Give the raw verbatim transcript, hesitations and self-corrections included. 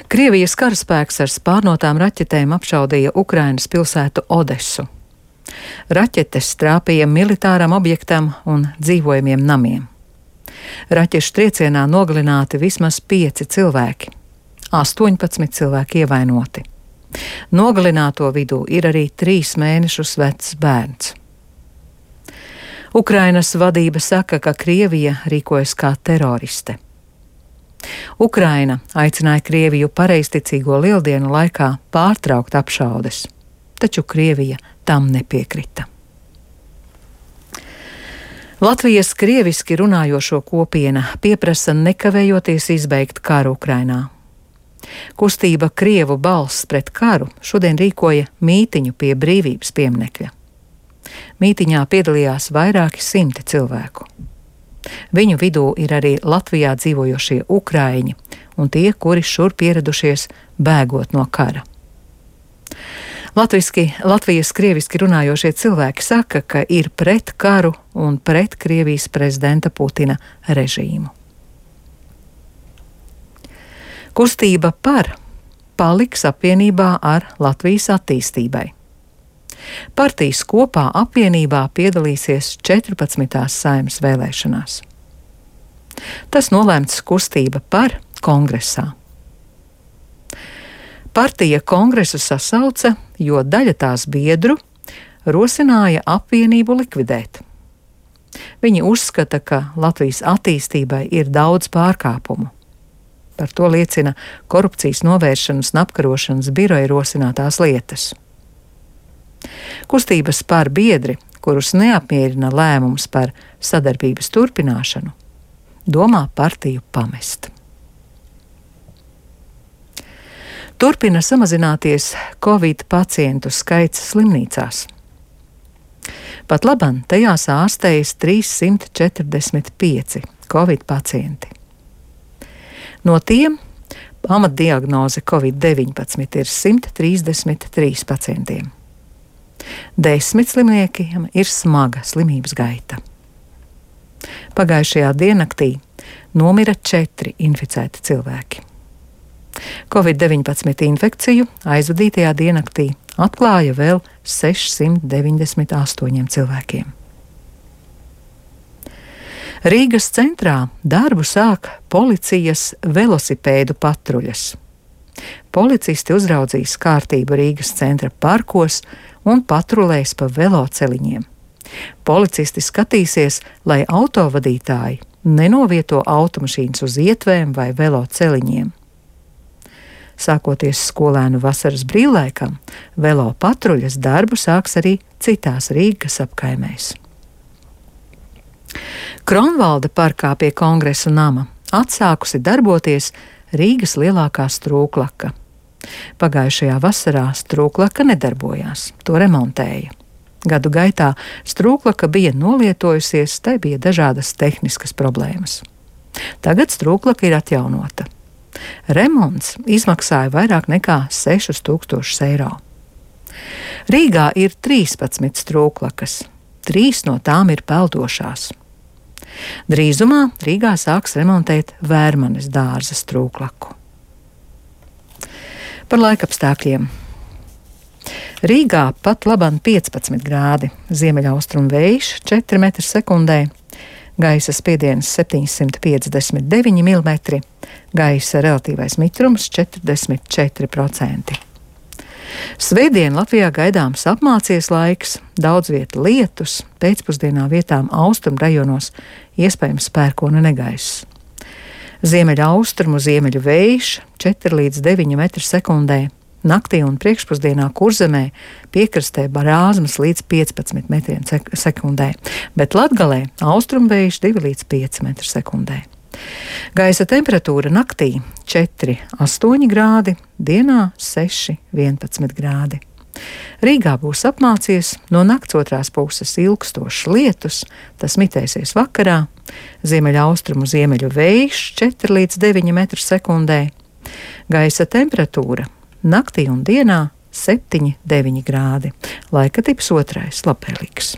Krievijas karaspēks ar spārnotām raķetēm apšaudīja Ukrainas pilsētu Odesu. Raķetes trāpīja militāram objektam un dzīvojamiem namiem. Raķešu triecienā nogalināti vismaz pieci cilvēki, astoņpadsmit cilvēki ievainoti. Nogalināto vidū ir arī trīs mēnešus vecs bērns. Ukrainas vadība saka, ka Krievija rīkojas kā teroriste. Ukraina aicināja Krieviju pareizticīgo lieldienu laikā pārtraukt apšaudes, taču Krievija tam nepiekrita. Latvijas krieviski runājošo kopiena pieprasa nekavējoties izbeigt karu Ukrainā. Kustība Krievu balss pret karu šodien rīkoja mītiņu pie Brīvības pieminekļa. Mītiņā piedalījās vairāki simti cilvēku. Viņu vidū ir arī Latvijā dzīvojošie ukraiņi un tie, kuri šurp ieradušies bēgot no kara. Latviski, Latvijas krieviski runājošie cilvēki saka, ka ir pret karu un pret Krievijas prezidenta Putina režīmu. Kustība par paliks apvienībā ar Latvijas attīstībai. Partijas kopā apvienībā piedalīsies četrpadsmitās Saeimas vēlēšanās. Tas nolēmts kustība par kongresā. Partija kongresu sasauca, jo daļa tās biedru rosināja apvienību likvidēt. Viņi uzskata, ka Latvijas attīstībai ir daudz pārkāpumu. Par to liecina korupcijas novēršanas un apkarošanas biroja rosinātās lietas. Kustības par biedri, kurus neapmierina lēmums par sadarbības turpināšanu, domā partiju pamest. Turpina samazināties Covid pacientu skaits slimnīcās. Pat laban tajās ārstējas trīssimt četrdesmit pieci Covid pacienti. No tiem pamatdiagnoze Covid deviņpadsmit ir simt trīsdesmit trīs pacientiem. Desmit slimniekiem ir smaga slimības gaita. Pagājušajā diennaktī nomira četri inficēti cilvēki. Covid deviņpadsmit infekciju aizvadītajā diennaktī atklāja vēl sešsimt deviņdesmit astoņiem cilvēkiem. Rīgas centrā darbu sāk policijas velosipēdu patruļas. Policisti uzraudzīs kārtību Rīgas centra parkos un patrulēs pa veloceliņiem. Policisti skatīsies, lai autovadītāji nenovieto automašīnas uz ietvēm vai veloceliņiem. Sākoties skolēnu vasaras brīvlaikam, velo patruļas darbu sāks arī citās Rīgas apkaimēs. Kronvalda parkā pie Kongresu nama atsākusi darboties Rīgas lielākā strūklaka. Pagājušajā vasarā strūklaka nedarbojās, to remontēja. Gadu gaitā strūklaka bija nolietojusies, tai bija dažādas tehniskas problēmas. Tagad strūklaka ir atjaunota. Remonts izmaksāja vairāk nekā sešus tūkstošus eiro. Rīgā ir trīspadsmit strūklakas, trīs no tām ir peldošās. Drīzumā Rīgā sāks remontēt Vērmanes dārza strūklaku. Par laikapstākļiem. Rīgā pat laban piecpadsmit grādi, ziemeļaustrumu vējš četri metri sekundē, gaisa spiediens septiņsimt piecdesmit deviņi milimetri, gaisa relatīvais mitrums četrdesmit četri procenti. Svētdien Latvijā gaidāms apmācies laiks, daudz vieta lietus, pēcpusdienā vietām austrumu rajonos iespējams pērkona negaiss. Ziemeļa austrumu ziemeļu vējš četri līdz deviņi metri sekundē, naktī un priekšpusdienā Kurzemē piekrastē brāzmas līdz piecpadsmit metriem sekundē, bet Latgalē austrumu vējš divi līdz pieci metri sekundē. Gaisa temperatūra naktī četri astoņi grādi, dienā seši vienpadsmit grādi. Rīgā būs apmācies, no nakts otrās puses ilgstošs lietus, tas mitēsies vakarā, ziemeļa austrumu ziemeļu vējš četri līdz deviņi metri sekundē, gaisa temperatūra naktī un dienā septiņi deviņi grādi, laika tips otrais labvēlīgs.